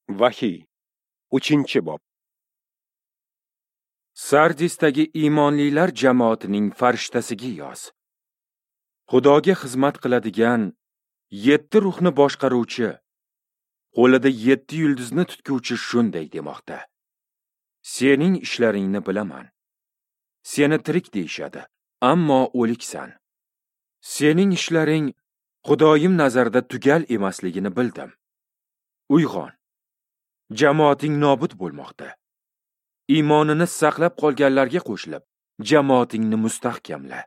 Vahiy, 3-bob. Sardisdagi iymonlilar jamoatining farishtasiga yoz. Xudoga xizmat qiladigan 7 ruhni boshqaruvchi, qo'lida 7 yulduzni tutguvchi shunday demoqda: Sening ishlaringni bilaman. Seni tirik deyishadi, ammo o'liksan. Sening ishlaring Xudoyim nazarida tugal emasligini bildim. Uyg'on. Jamoating nobud bo'lmoqda. Iymonini saqlab qolganlarga qo'shilib, jamoatingni mustahkamla.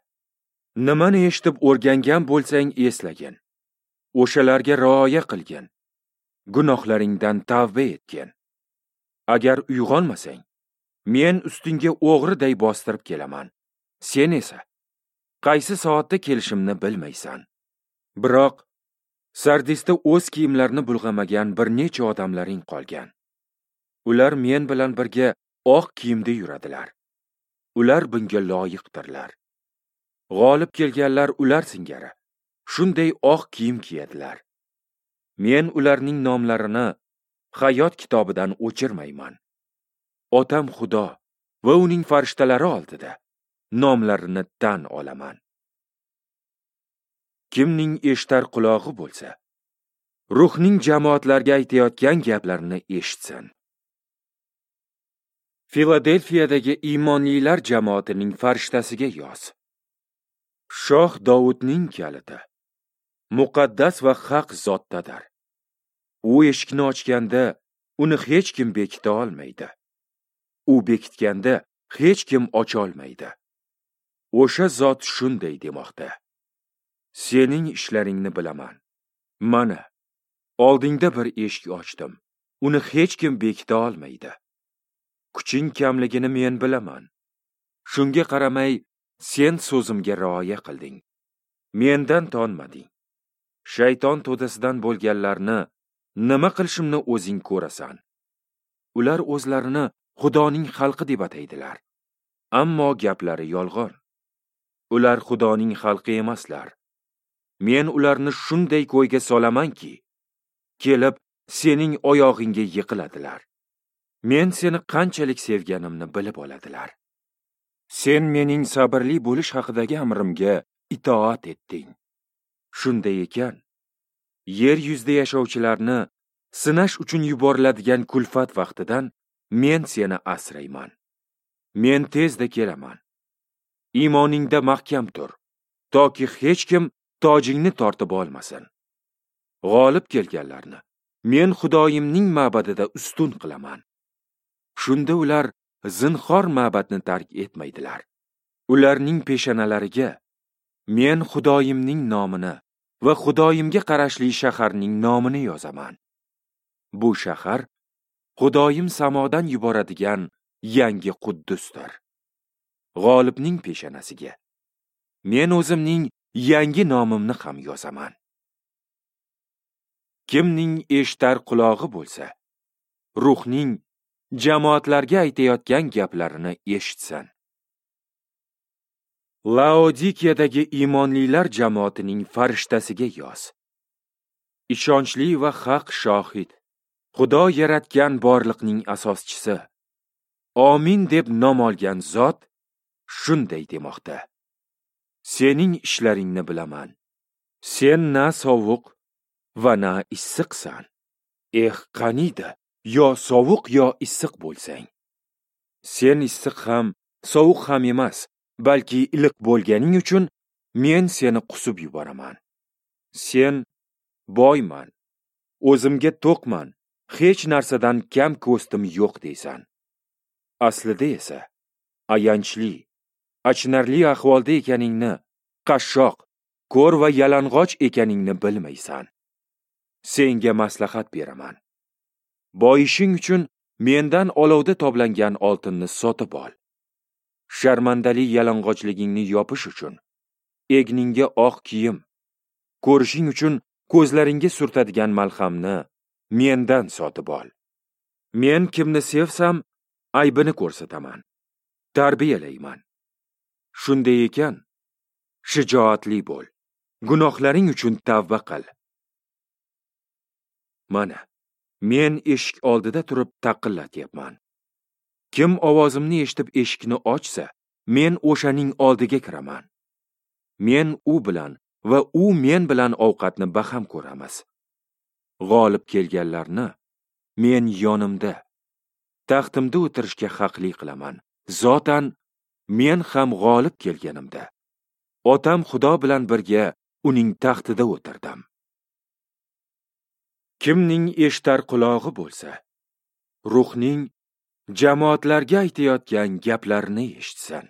Nimani eshitib o'rgangan bo'lsang eslagin. O'shalarga rioya qilgin. Gunohlaringdan tavba etgin. Agar uyg'onmasang, men ustingga o'g'riday bostirib kelaman. Sen esa qaysi soatda kelishimni bilmaysan. Biroq Sardisda o'z kiyimlarini bulg'amagan bir necha odamlaring qolgan. Ular men bilan birga oq kiyimda yuradilar. Ular bunga loyiqdirlar. G'olib kelganlar ular singari shunday oq kiyim kiyadilar. Men ularning nomlarini hayot kitobidan o'chirmayman. Otam Xudo va uning farishtalari oldida nomlarini tan olaman. Kimning eshitar qulog'i bo'lsa, ruhning jamoatlarga aytayotgan gaplarini eshitsin. Filadelfiyadagi iymonlilar jamoatining farishtasiga yoz. Shoh Dovudning kaliti muqaddas va haq zotdadir. U eshikni ochganda uni hech kim bekita olmaydi. U bekitganda hech kim ocha olmaydi. O'sha zot shunday demoqda: Sening ishlaringni bilaman. Mana, oldingda bir eshik ochdim. Uni hech kim bekita olmaydi. Kuching kamligini men bilaman. Shunga qaramay, sen so'zimga rioya qilding. Mendan tonmading. Shayton to'dasidan bo'lganlarni nima qilishimni o'zing ko'rasan. Ular o'zlarini Xudoning xalqi deb ataydilar. Ammo gaplari yolg'on. Ular Xudoning xalqi emaslar. Men ularni shunday ko'yga solamanki, kelib sening oyog'ingga yiqiladilar. Men seni qanchalik sevganimni bilib oladilar. Sen mening sabrli bo'lish haqidagi amrimga itoat etding. Shunday ekan, yer yuzida yashovchilarni sinash uchun yuboriladigan kulfat vaqtidan men seni asrayman. Men tezda kelaman. Iymoningda mahkam tur, toki hech kim tojingni tortib olmasin. G'olib kelganlarni men Xudoyimning ma'badida ustun qilaman. Shunda ular zinhor ma'badni tark etmaydilar. Ularning peshonalariga men Xudoyimning nomini va Xudoyimga qarashli shaharning nomini yozaman. Bu shahar Xudoyim samodan yuboradigan yangi Quddusdir. G'olibning peshonasiga men o'zimning yangi nomimni ham yozaman. Kimning eshitar qulog'i bo'lsa, ruhning jamoatlarga aytayotgan gaplarini eshitsin. Laodikiyadagi iymonlilar jamoatining farishtasiga yoz. Ishonchli va haq shohid, Xudo yaratgan borliqning asoschisi, Amin deb nom olgan zot shunday demoqda: Sening ishlaringni bilaman. Sen na sovuq va na issiqsan. Eh, qaniydi, yo sovuq yo issiq bo'lsang. Sen issiq ham, sovuq ham emas, balki iliq bo'lganing uchun men seni qusib yuboraman. Sen boyman, o'zimga to'qman, hech narsadan kam ko'stim yo'q deysan. Aslida esa ayanchli, achinarli ahvolda ekaningni, qashshoq, ko'r va yalang'och ekaningni bilmaysan. Senga maslahat beraman. Boyishing uchun mendan olovda toblangan oltinni sotib ol. Sharmandali yalang'ochligingni yopish uchun egningga oq kiyim, ko'rishing uchun ko'zlaringga surtadigan malhamni mendan sotib ol. Men kimni sevsam, aybini ko'rsataman, tarbiyalayman. Shunday ekan, shijoatli bo'l. Gunohlaring uchun tavba qil. Mana, Men eshik oldida turib taqillatyapman. Kim ovozimni eshitib eshikni ochsa, men o'shaning oldiga kiraman. Men u bilan va u men bilan ovqatni baham ko'ramiz. G'olib kelganlarni men yonimda, taxtimda o'tirishga haqli qilaman. Zotan men ham g'olib kelganimda, Otam Xudo bilan birga uning taxtida o'tirdim. Kimning eshitar qulog'i bo'lsa, Ruhning jamoatlarga aytayotgan gaplarini eshitsin.